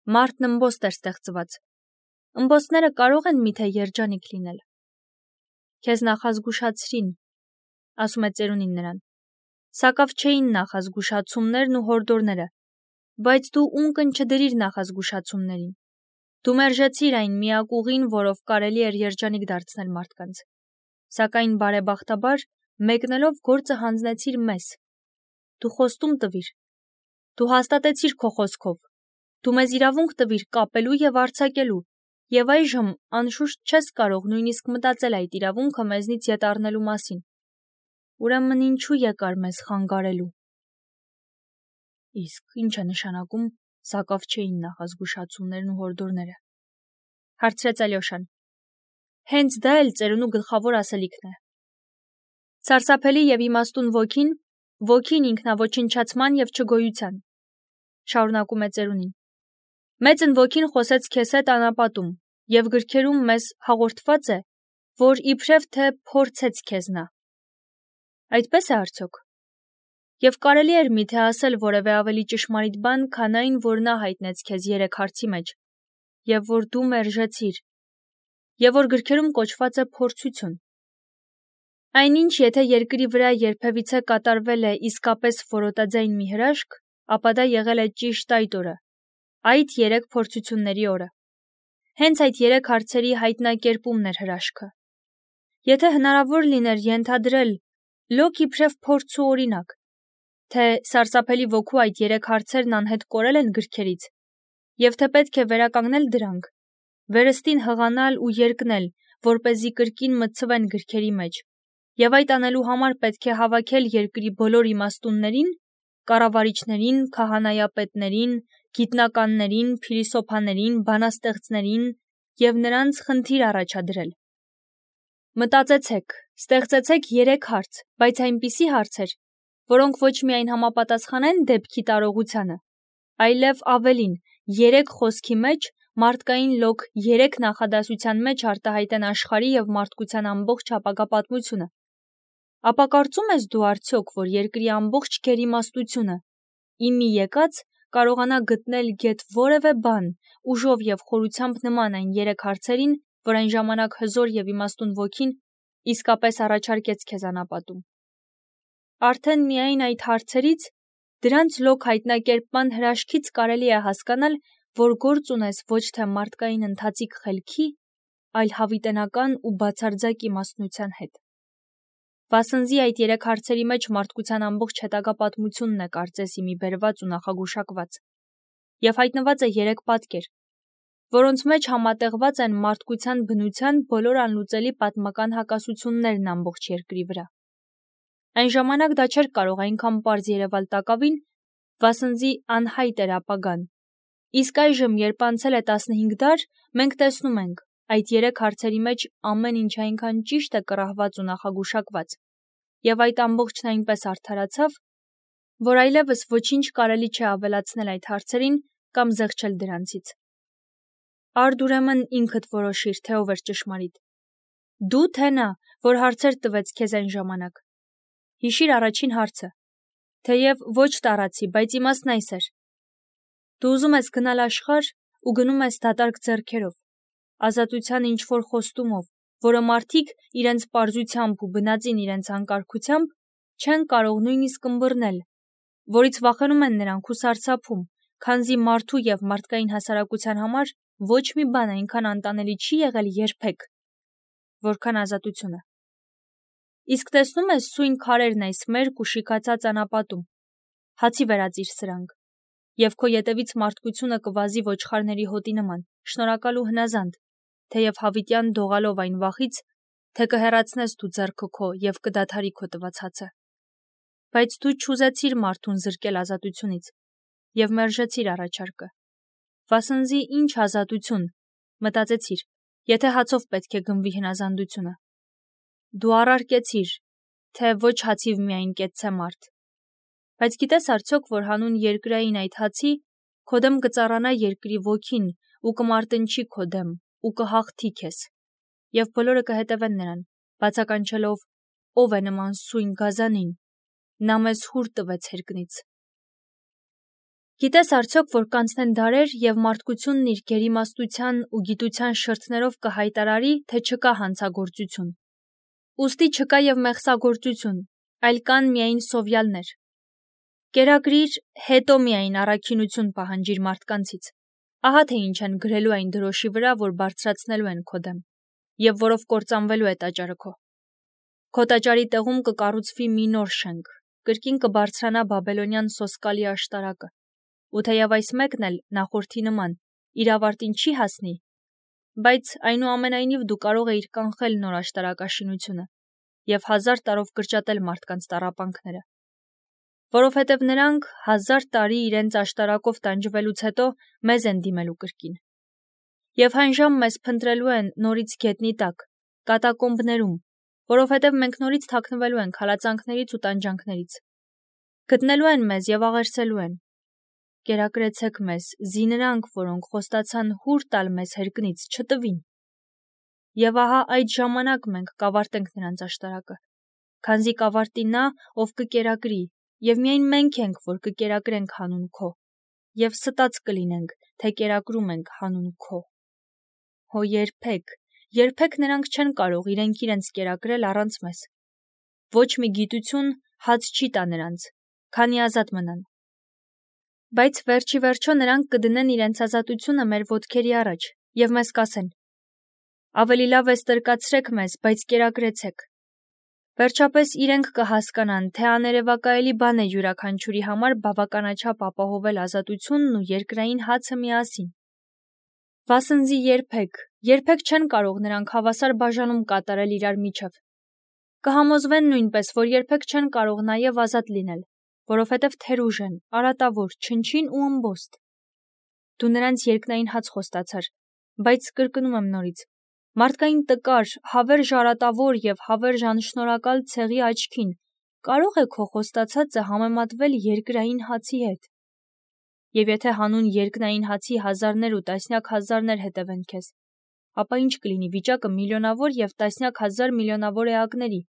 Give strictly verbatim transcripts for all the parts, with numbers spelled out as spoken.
Մարդն ըմբոստ էր ստեղծված։ Ըմբոստները կարող են միթե երջանիկ լինել։ Քեզ նախազգուշացրին, ասում է ծերունին նրան։ Սակավ չէին նախազգուշացումներն ու հորդորները, բայց դու ունկն չդրիր նախազգուշացումներին։ Դու մերժեցիր այն միակ ուղին, որով կարելի էր երջանիկ դարձնել մարդկանց։ Սակայն բարեբախտաբար մեկնելով գործը հանձնեցիր մեզ։ Դու խոստում տվիր։ Դու հաստատեցիր քո խոսքով։ Դու մեզ իրավունք տվիր կապելու եւ արձակելու, եւ այժմ անշուշտ չես կարող նույնիսկ մտածել այդ իրավունքը մեզնից ետ առնելու մասին։ Ուրեմն ինչու եկար մեզ խանգարելու։ Իսկ ինչ է նշանակում սակավ չէին նախազգուշացումներն ու հորդորները, հարցրեց Ալյոշան։ Հենց դա էլ ծերունու գլխավոր ասելիքն է։ Սարսափելի եւ իմաստուն ոգին, ոգին ինքնաոչնչացման եւ չգոյության, շարունակում է ծերունին։ Մեծն ոգին խոսեց քեզ հետ անապատում, եւ գրքերում մեզ հաղորդված է, որ իբրև թե փորձեց քեզ նա։ Այդպես է արդյոք։ Եվ կարելի էր միթե ասել որևէ ավելի ճշմարիտ բան, քան այն, որ նա հայտնեց քեզ երեք հարցի մեջ, եւ որ դու մերժեցիր, եւ որ գրքերում կոչված է փորձություն։ Այնինչ, եթե երկրի վրա երբևիցե կատարվել է իսկապես որոտաձայն մի հրաշք, ապա դա եղել է ճիշտ այդ օրը, այդ երեք փորձությունների օրը։ Հենց այդ երեք հարցերի հայտնակերպումն էր հրաշքը։ Եթե հնարավոր լիներ ենթադրել, լոկ իբրև փորձ ու օրինակ, թե սարսափելի ոգու այդ երեք հարցերն անհետ կորել են գրքերից, եւ թե պետք է վերականգնել դրանք, վերստին հղանալ ու երկնել, որպեսզի կրկին մտցվեն գրքերի մեջ, եւ այդ անելու համար պետք է հավաքել երկրի բոլոր իմաստուններին, կառավարիչներին, քահանայապետներին, գիտնականներին, փիլիսոփաներին, բանաստեղծներին եւ նրանց խնդիր առաջադրել։ Մտածեցեք, ստեղծեցեք երեք հարց, բայց այնպիսի հարցեր, որոնք ոչ միայն համապատասխանեն դեպքի տարողությանը, այլև ավելին, երեք խոսքի մեջ մարդկային լոկ երեք նախադասության մեջ արտահայտեն աշխարհի եւ մարդկության ամբողջ ապագա պատմությունը։ Ապա կարծում ես դու արդյոք, որ երկրի ամբողջ գերիմաստությունը, իմի եկած, կարողանա գտնել գեթ որևէ բան, ուժով եւ խորությամբ նման այն երեք հարցերին, որ այն ժամանակ հզոր եւ իմաստուն ոգին իսկապես առաջարկեց քեզ անապատում։ Արդեն միայն այդ հարցերից, դրանց լոկ հայտնակերպման հրաշքից կարելի է հասկանալ, որ գործ ունես ոչ թե մարդկային ընթացիկ խելքի, այլ հավիտենական ու բացարձակ իմաստնության հետ։ Վասնզի այդ երեք հարցերի մեջ մարդկության ամբողջ հետագա պատմությունն է կարծես իմի բերված ու նախագուշակված, եւ հայտնված է երեք պատկեր, որոնց մեջ համատեղված են մարդկության բնության բոլոր անլուծելի պատմական հակասություններն ամբողջ երկրի վրա։ Այն ժամանակ դա չէր կարող այնքան պարզ երևալ տակավին, վասնզի անհայտ էր ապագան։ Իսկ այժմ, երբ անցել է տասնհինգ դար, մենք տեսնում ենք, այդ երեք հարցերի մեջ ամեն ինչ այնքան ճիշտ է կռահված ու նախագուշակված, եւ այդ ամբողջն այնպես արդարացավ, որ այլևս ոչինչ կարելի չէ ավելացնել այդ հարցերին կամ զղջել դրանցից։ Արդ ուրեմն ինքդ որոշիր, թե ով էր ճշմարիտ։ Դու թե նա, որ հարցեր տվեց քեզ այն ժամանակ։ Հիշիր առաջին հարցը, թեև ոչ տարածի, բայց իմաստն այս էր. դու ուզում ես գնալ աշխարհ ու գնում ես դատարկ ձեռքերով, ազատության ինչ-որ խոստումով, որը մարդիկ իրենց պարզությամբ ու բնածին իրենց անկարգությամբ չեն կարող նույնիսկ ըմբռնել, որից վախենում են նրանք ու սարսափում, քանզի մարդու եւ մարդկային հասարակության համար ոչ մի բան այնքան անտանելի չի եղել երբեք, որքան ազատությունը։ Իսկ տեսնում ես սույն քարերն այս մերկ ու շիքացած անապատում, հացի վերածիր սրանք, եւ քո ետևից մարդկությունը կվազի ոչխարների հոտի նման, շնորհակալ ու հնազանդ, թեև հավիտյան դողալով այն վախից, թե կհեռացնես դու ձեռքը քո եւ կդադարի քո տված հացը։ Բայց դու չուզեցիր մարդուն զրկել ազատությունից եւ մերժեցիր առաջարկը։ Վասնզի ինչ ազատություն, մտածեցիր, եթե հացով պետք է գնվի հնազանդությունը։ Դու առարկեցիր, թե ոչ հացիվ միայն կեցցե մարդ։ Բայց գիտես արդյոք, որ հանուն երկրային այդ հացի քո դեմ կծառանա երկրի ոգին ու կմարտնչի քո դեմ ու կհաղթի քեզ, եւ բոլորը կհետևեն նրան, բացականչելով ով է նման սույն գազանին, նա մեզ հուր տվեց հերկնից։ Գիտես արդյոք, որ կանցնեն դարեր և մարդկությունն իր գերիմաստության ու գիտության շրթներով կհայտարարի, թե չկա հանցագործություն։ Ուստի չկա և մեղսագործություն, այլ կան միայն սովյալներ։ Կերակրիր, հետո միայն առաքինություն պահանջիր մարդկանցից։ Ահա թե ինչ են գրելու այն դրոշի վրա, որ բարձրացնելու են քո դեմ, և որով կործանվելու է տաճարը քո։ Քո տաճարի տեղում կկառուցվի մի նոր շենք, կրկին կբարձրանա բաբելոնյան սոսկալի աշտարակը, ու թեև այս մեկն էլ նախորդի նման իր ավարտին չի հասնի, բայց այնուամենայնիվ դու կարող էիր կանխել նոր աշտարակաշինությունը և հազար տարով կրճատել մարդկանց տառապանքները, որովհետև նրանք հազար տարի իրենց աշտարակով տանջվելուց հետո մեզ են դիմելու կրկին։ Եվ հանժամ մեզ փնտրելու են նորից գետնի տակ, կատակոմբներում, որովհետև մենք նորից թաքնվելու ենք հալածանքներից ու տանջանքներից։ Գտնելու են մեզ և աղերսելու են։ Կերակրեցեք մեզ, զի նրանք, որոնք խոստացան հուր տալ մեզ հերկնից, չտվին։ Եվ ահա այդ ժամանակ մենք կավարտենք նրանց աշտարակը, քանզի կավարտի նա, ով կկերակրի, և միայն մենք ենք, որ կկերակրենք հանուն քո, և ստած կլինենք, թե կերակրում ենք հանուն քո։ Հո երբեք, երբեք նրանք չեն կարող իրենք իրենց կերակրել առանց մեզ։ Ոչ մի գիտություն հաց չի տա նրանց, քանի ազատ մնան։ Բայց վերջի վերջո նրանք կդնեն իրենց ազատությունը մեր ոտքերի առաջ և մեզ կասեն. ավելի լավ է ստրկացրեք մեզ, բայց կերակրեցեք։ Վերջապես իրենք կհասկանան, թե աներևակայելի բան է յուրաքանչյուրի համար բավականաչափ ապահովել ազատությունն ու երկրային հացը միասին։ Վասնզի երբեք, երբեք չեն կարող նրանք հավասար բաժանում կատարել իրար միջև։ Կհամոզվեն նույնպես, որ երբեք չեն կարող նաև ազատ լինել, որովհետև թերուժ են, արատավոր, չնչին ու ըմբոստ։ Դու նրանց երկնային հաց խոստացար, բայց կրկնում եմ նորից, մարդկային տկար, հավերժ արատավոր և հավերժ անշնորհակալ ցեղի աչքին կարո՞ղ է քո խոստացածը համեմատվել երկրային հացի հետ։ Եվ եթե հանուն երկնային հացի հազարներ ու տասնյակ հազարներ հետևեն քեզ, ապա ինչ կլինի վիճակը միլիոնավոր և տասնյակ հազար միլիոնավոր էակների,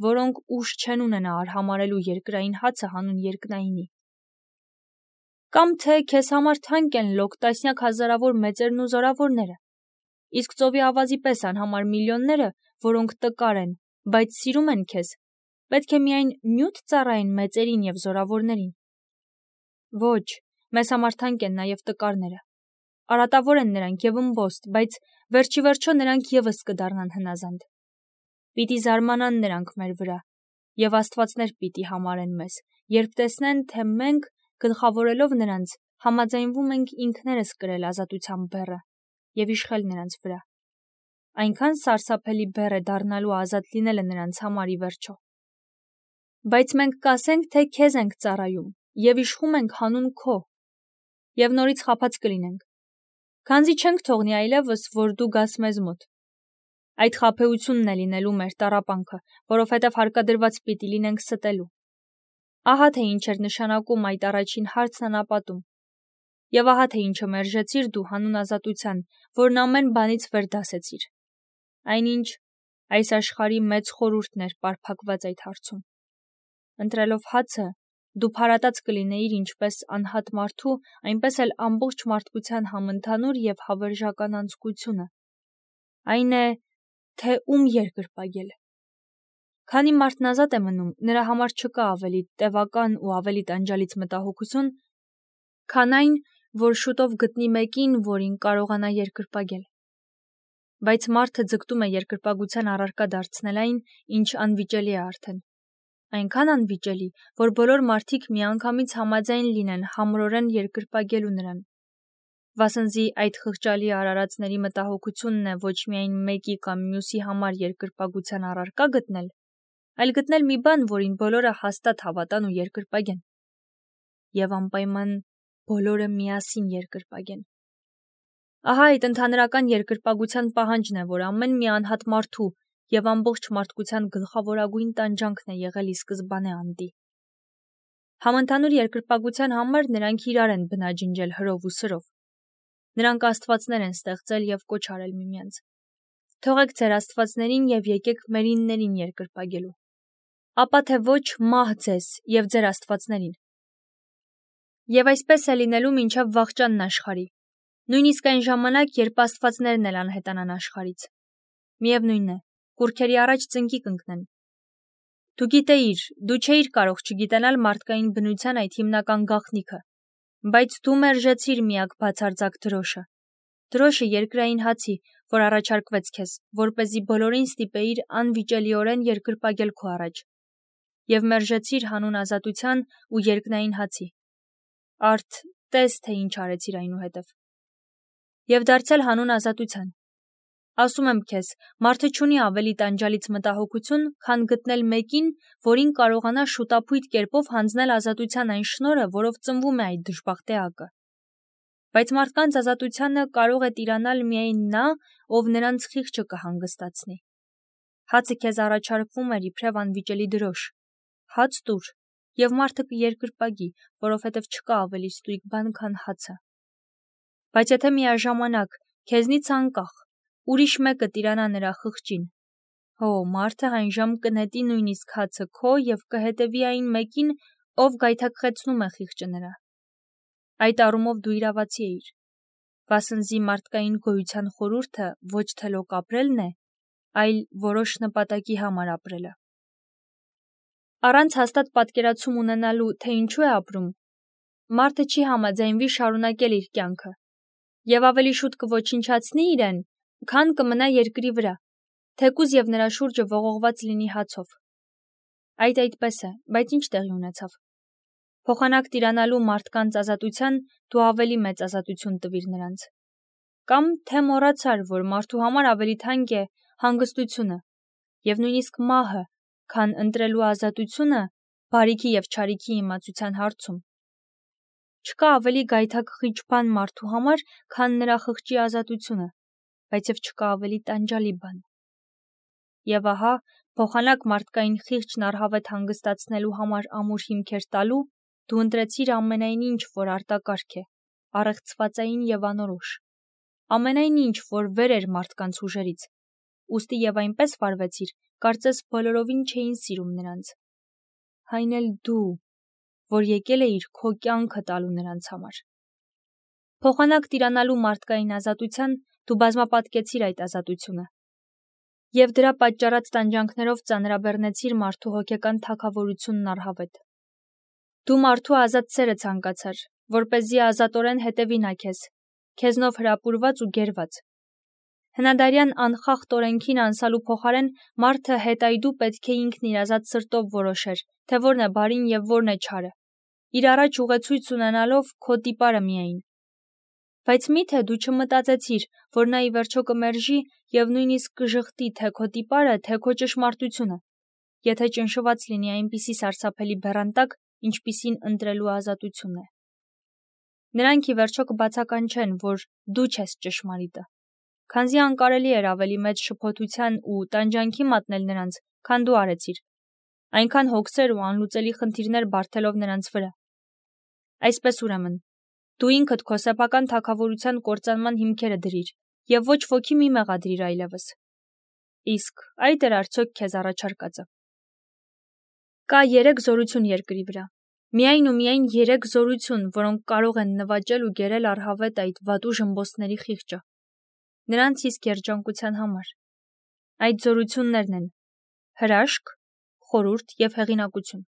որոնք ուժ չեն ունենա արհամարհելու երկրային հացը հանուն երկնայինի։ Կամ թե քեզ համար թանկ են լոկ տասնյակ հազարավոր մեծերն ու զորավորները, իսկ ծովի ավազի պես անհամար միլիոնները, որոնք տկար են, բայց սիրում են քեզ, պետք է միայն նյութ ծառայեն մեծերին և զորավորներին։ Ոչ, մեզ համար թանկ են նաև տկարները։ Արատավոր են նրանք և ըմբոստ, բայց վերջի վերջո նրանք ևս կդառնան հնազանդ։ Պիտի զարմանան նրանք մեր վրա, և աստվածներ պիտի համարեն մեզ, երբ տեսնեն, թե մենք, գլխավորելով նրանց, համաձայնվում ենք ինքներս կրել ազատության բեռը և իշխել նրանց վրա։ Այնքան սարսափելի բեռ է դառնալու ազատ լինելը նրանց համար ի վերջո։ Բայց մենք կասենք, թե քեզ ենք ծառայում և իշխում ենք հանուն քո, և նորից խաբած կլինենք, քանզի չենք թողնի այլևս, որ դու գաս մեզ մոտ։ Այդ խաբեությունն է լինելու մեր տառապանքը, որովհետև հարկադրված պիտի լինենք ստելու։ Ահա թե ինչ էր նշանակում այդ առաջին հարցն անապատում։ Եվ ահա թե ինչը մերժեցիր դու հանուն ազատության, որն ամեն բանից վեր դասեցիր։ Այնինչ, այս աշխարհի մեծ խորհուրդն էր պարփակված այդ հարցում։ Ընտրելով հացը, դու փարատած կլինեիր ինչպես անհատ մարդու, այնպես էլ ամբողջ մարդկության համընդհանուր և հավերժական անձկությունը։ Այն է, թե ում երկրպագել։ Քանի մարդն ազատ է մնում, նրա համար չկա ավելի տևական ու ավելի տանջալից մտահոգություն, քան այն, որ շուտով գտնի մեկին, որին կարողանա երկրպագել։ Բայց մարդը ձգտում է երկրպագության առարկա դարձնել այն, ինչ անվիճելի է արդեն։ Այնքան անվիճելի, որ բոլոր մարդիկ միանգամից համաձայն լինեն համրորեն երկրպագելու նրան։ Վասնզի այդ խղճալի արարածների մտահոգությունն է ոչ միայն մեկի կամ մյուսի համար երկրպագության առարկա գտնել, այլ գտնել մի բան, որին բոլորը հաստատ հավատան ու երկրպագեն։ Եվ անպայման բոլորը միասին երկրպագեն։ Ահա այդ ընդհանրական երկրպագության պահանջն է, որ ամեն մի անհատ մարդու և ամբողջ մարդկության գլխավորագույն տանջանքն է եղել ի սկզբանե անդի։ Համընդհանուր երկրպագության համար նրանք իրար են բնաջնջել հրով ու սրով։ Նրանք աստվածներ են ստեղծել և կոչ արել միմյանց. թողեք ձեր աստվածներին և եկեք մերիններին երկրպագելու։ Ապա թե ոչ մահ ձեզ և ձեր աստվածներին։ Եվ այսպես է լինելու մինչև վաղճանն աշխարհի, նույնիսկ այն ժամանակ, երբ աստվածներն էլ անհետանան աշխարհից։ Միևնույն է, կուռքերի առաջ ծնկի կընկնեն։ Դու գիտեիր, դու չէիր կարող չգիտենալ մարդկային բնության այդ հիմնական գաղտնիքը, բայց դու մերժեցիր միակ բացարձակ դրոշը։ Դրոշը երկրային հացի, որ առաջարկվեց քեզ, որպեսզի բոլորին ստիպեիր անվիճելիորեն երկրպագել քո առաջ, եւ մերժեցիր հանուն ազատության ու երկնային հացի։ Արդ, տես, թե ինչ արեցիր այնուհետև։ Եվ դարձել հանուն ազատության։ Ասում եմ քեզ, մարդը չունի ավելի տանջալից մտահոգություն, քան գտնել մեկին, որին կարողանա շուտափույթ կերպով հանձնել ազատության այն շնորհը, որով ծնվում է այդ դժբախտ էակը։ Բայց մարդկանց ազատությանը կարող է տիրանալ միայն նա, ով նրանց խիղճը կհանգստացնի։ Հացը քեզ առաջարկվում էր իբրև անվիճելի դրոշ։ Հաց տուր, եւ մարդը կերկրպագի, որովհետեւ չկա ավելի ստույգ բան, քան հացը։ Բայց եթե միաժամանակ քեզնից անկախ ուրիշ մեկը տիրանա նրա խղճին, հո մարդը այնժամ կնետի նույնիսկ հացը քո եւ կհետևի այն մեկին, ով գայթակղեցնում է խիղճը նրա։ Այդ առումով դու իրավացի էիր, վասնզի մարդկային գոյության խորհուրդը ոչ թե լոկ ապրելն է, այլ որոշ նպատակի համար ապրելը։ Առանց հաստատ պատկերացում ունենալու, թե ինչու է ապրում, մարդը չի համաձայնվի շարունակել իր կյանքը եւ ավելի շուտ կոչնչացնի իրեն, քան կմնա երկրի վրա, թեկուզ եւ նրա շուրջը ողողված լինի հացով։ Այդ այդպես է, բայց ինչ տեղի ունեցավ։ Փոխանակ տիրանալու մարդկանց ազատության դու ավելի մեծ ազատություն տվիր նրանց։ Կամ թե մոռացար, որ մարդու համար ավելի թանկ է հանգստությունը եւ նույնիսկ մահը, քան ընտրելու ազատությունը բարիքի եւ չարիքի իմացության հարցում։ Չկա ավելի գայթակղիչ բան մարդու համար, քան նրա խղճի ազատությունը, բայց եւ չկա ավելի տանջալի բան։ Եվ ահա, փոխանակ մարդկային խիղճն առհավետ հանգստացնելու համար ամուր հիմքեր տալու, դու ընտրեցիր ամենայն ինչ, որ արտակարգ է, առեղծվածային եւ անորոշ, ամենայն ինչ, որ վեր էր մարդկանց ուժերից, ուստի եւ այնպես վարվեցիր, կարծես բոլորովին չէին սիրում նրանց։ Այն էլ դու, որ եկել էիր քո կյանքը տալու նրանց համար։ Փոխանակ տիրանալու մարդկային ազատության դու բազմապատկեցիր այդ ազատությունը եւ դրա պատճառած տանջանքներով ծանրաբեռնեցիր մարդու հոգեկան թագավորությունն առհավետ։ Դու մարդու ազատ սերը ցանկացար, որպեսզի ազատորեն հետևի նա քեզ, քեզնով հրապուրված ու գերված։ Հնադարյան անխախտ օրենքին անսալու փոխարեն մարդը հետայդու պետք է ինքն իր ազատ սրտով որոշեր, թե որն է բարին եւ որն է չարը, իր առաջ ուղեցույց ունենալով քո տիպարը միայն։ Բայց մի՞թե դու չմտածեցիր, որ նա ի վերջո կմերժի եւ նույնիսկ կժխտի թե քո տիպարը, թե քո ճշմարտությունը, եթե ճնշված լինի այնպիսի սարսափելի բեռանտակ, ինչպիսին ընտրելու ազատությունն է։ Նրանք ի վերջո կբացականչեն, որ դու չես ճշմարիտը, քանզի անկարելի էր ավելի մեծ շփոթության ու տանջանքի մատնել նրանց, քան դու արեցիր, այնքան հոգսեր ու անլուծելի խնդիրներ բարթելով նրանց վրա։ Այսպես ուրեմն, դու ինքդ քո սեփական թագավորության կործանման հիմքերը դրիր եւ ոչ ոքի մի մեղադրիր այլևս։ Իսկ այդ էր արդյոք քեզ առաջարկածը։ Կա երեք զորություն երկրի վրա։ Միայն ու միայն երեք զորություն, որոնք կարող են նվաճել ու գերել առհավետ այդ վատու ժմբոսների խիղճը։ Նրանց իսկ երջանկության համար։ Այդ զորություններն են հրաշք, խորհուրդ եւ հեղինակություն։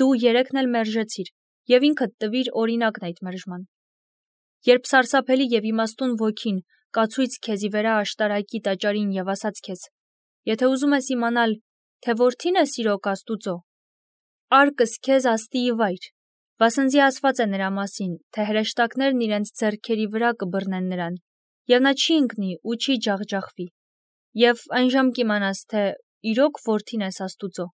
Դու երեքն էլ մերժեցիր եւ ինքդ տվիր օրինակն այդ մերժման։ Երբ սարսափելի եւ իմաստուն ոգին կացույց քեզի վրա աշտարակի տաճարին եւ ասաց քեզ. եթե ուզում ես իմանալ, թե որդին է սիրոք Աստուծո, արկս քեզ աստիի վայր, վասնզի ասված է նրա մասին, թե հրեշտակներն իրենց ձեռքերի վրա կբռնեն նրան, եւ նա չի ընկնի ու չի ջախջախվի, եւ այնժամ կիմանաս, թե իրոք որդին ես Աստուծո,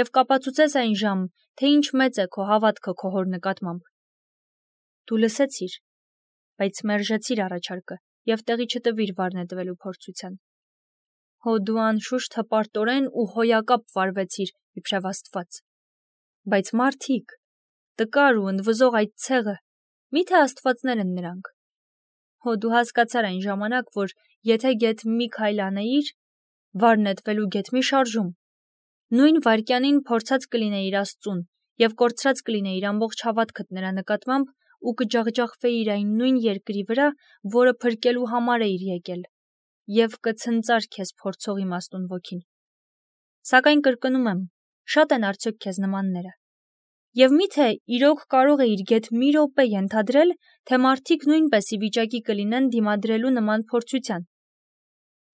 եւ կապացուցես այնժամ, թե ինչ մեծ է քո հավատքը քո հոր նկատմամբ։ Դու լսեցիր, բայց մերժեցիր առաջարկը եւ տեղի չտվիր վառնետվելու փորձության։ Հո դու անշուշտ հպարտորեն ու հոյակապ վարվեցիր իբրև Աստված։ Բայց մարդիկ, տկար ու ընդվզող այդ ցեղը, մի՞թե աստվածներ են նրանք։ Հո դու հասկացար այն ժամանակ, որ եթե գեթ մի քայլ անեիր, վառնետվելու գեթ մի շարժում, նույն վայրկյանին փորձած կլինեիր Աստծուն եւ կորցրած կլինեիր ամբողջ հավատքդ նրա նկատմամբ ու կջախջախվեիր այն նույն երկրի վրա, որը փրկելու համար էիր եկել, եւ կցնծար քեզ փորձող իմաստուն ոգին։ Սակայն կրկնում եմ, շատ են արդյոք քեզ նմանները։ Եվ միթե իրոք կարող էիր գեթ մի րոպե ենթադրել, թե մարդիկ նույնպես ի վիճակի կլինեն դիմադրելու նման փորձության։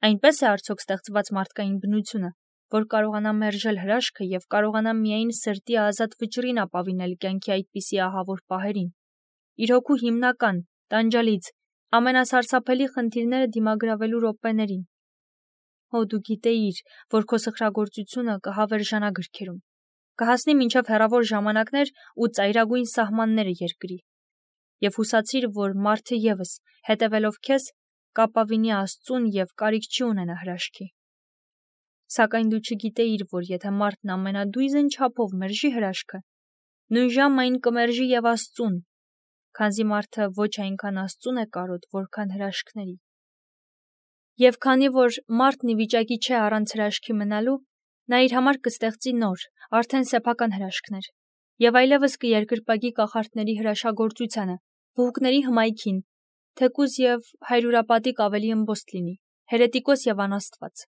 Այնպես է արդյոք ստեղծված մարդկային բնությունը, որ կարողանա մերժել հրաշքը եւ կարողանա միայն սրտի ազատ վճռին ապավինել կյանքի այդպիսի ահավոր պահերին։ Իր հոգու հիմնական, տանջալից, ամենասարսափելի խնդիրները դիմագրավելու րոպեներին։ Հո դու գիտեիր, որ քո սխրագործությունը կհավերժանա գրքերում, կհասնի մինչև հեռավոր ժամանակներ ու ծայրագույն սահմանները երկրի, եւ հուսացիր, որ մարդը եւս, հետևելով քեզ, կապավինի Աստծուն եւ կարիք չի ունենա հրաշքի։ Սակայն դու չգիտեիր, որ եթե մարդն ամենադույզն չափով մերժի հրաշքը, նույնժամ այն կմերժի եւ Աստծուն, քանզի մարդը ոչ այնքան Աստծուն է կարոտ, որքան հրաշքների։ Եվ քանի որ մարդն ի վիճակի չէ առանց հրաշքի մնալու, նա իր համար կստեղծի նոր, արդեն սեփական հրաշքներ, եւ այլևս կերկրպագի կախարդների հրաշագործությանը, վհուկների հմայքին, թեկուզ եւ հայրուրապատիկ ավելի ըմբոստ լինի, հերետիկոս եւ անաստված։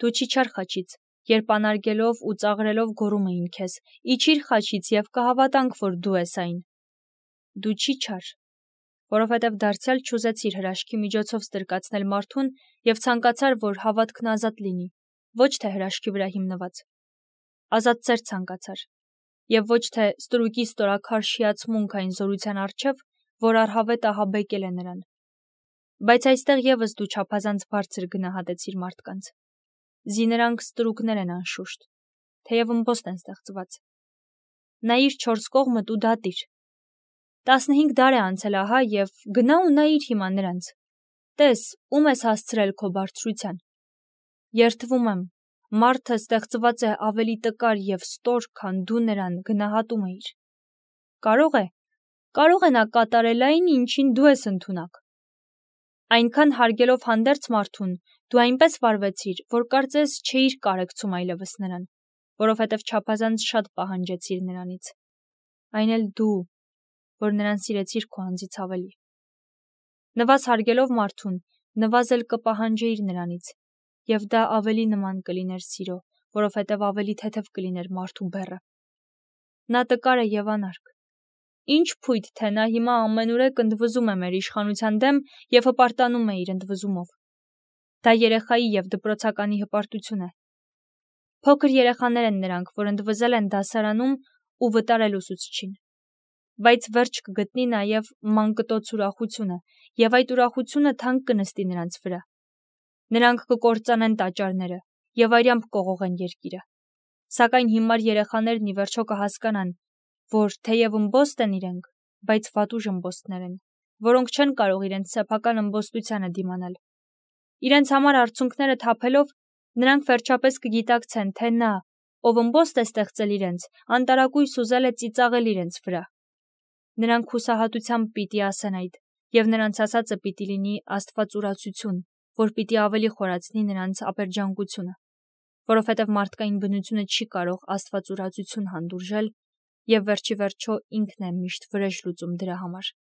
Դու չիչար խաչից, երբ անարգելով ու ծաղրելով գոռում էին քեզ, իջիր խաչից եւ կհավատանք, որ դու ես այն։ Դու չիչար, որովհետև դարձյալ չուզեցիր հրաշքի միջոցով ստրկացնել մարդուն եւ ցանկացար, որ հավատքն ազատ լինի, ոչ թե հրաշքի վրա հիմնված։ Ազատ ծեր ցանկացար, եւ ոչ թե ստրուկի ստորաքար շիացմունք այն զորության առջև, որ արհավետ ահաբեկել է նրան։ Բայց այստեղ եւս դու չափազանց բարձր գնահատեցիր մարդկանց։ Զի նրանք ստրուկներ են անշուշտ, թեև ըմբոստ են ստեղծված։ Նայիր չորս կողմդ ու դատիր։ Տասնհինգ դար է անցել ահա եւ գնա ու նայիր հիմա նրանց։ Տես, ում ես հասցրել քո բարձրության։ Երդվում եմ, մարդը ստեղծված է ավելի տկար եւ ստոր, քան դու նրան գնահատում էիր։ Կարող է, կարող է նա կատարել այն, ինչին դու ես ընդունակ։ Այնքան հարգելով հանդերձ մարդուն, դու այնպես վարվեցիր, որ կարծես չէիր կարեկցում այլևս նրան, որովհետև չափազանց շատ պահանջեցիր նրանից։ Այն էլ դու, որ նրան սիրեցիր քո անձից ավելի։ Նվազ հարգելով մարդուն, նվազել կպահանջեիր նրանից, եւ դա ավելի նման կլիներ սիրո, որովհետև ավելի թեթև կլիներ մարդու բեռը։ Նա տկար է եւ անարգ։ Ինչ փույթ, թե նա հիմա ամենուրեք ընդվզում է մեր իշխանության դեմ եւ հպարտանում է իր ընդվզումով։ Դա երեխայի եւ դպրոցականի հպարտություն է։ Փոքր երեխաներ են նրանք, որ ընդվզել են դասարանում ու վտարել ուսուցչին։ Բայց վերջ կգտնի նաեւ մանկտոց ուրախությունը, եւ այդ ուրախությունը թանկ կնստի նրանց վրա։ Նրանք կկործանեն տաճարները եւ արյամբ կողողեն երկիրը։ Սակայն հիմար երեխաներն ի վերջո կհասկանան, որ թեև ըմբոստ են իրենք, բայց վատուժ ըմբոստներ են, որոնք չեն կարող իրենց սեփական ըմբոստությանը դիմանալ։ Իրենց համար արցունքները թափելով, նրանք վերջապես կգիտակցեն, թե նա, ով ըմբոստ է ստեղծել իրենց, անտարակույս ուզել է ծիծաղել իրենց վրա։ Նրանք հուսահատությամբ պիտի ասեն այդ, եւ նրանց ասածը պիտի լինի աստվածուրացություն, որ պիտի ավելի խորացնի նրանց ապերջանկությունը, որովհետև մարդկային բնությունը չի կարող աստվածուրացություն հանդուրժել, եւ վերջի վերջո ինքն է միշտ վրեժ լուծում դրա համար։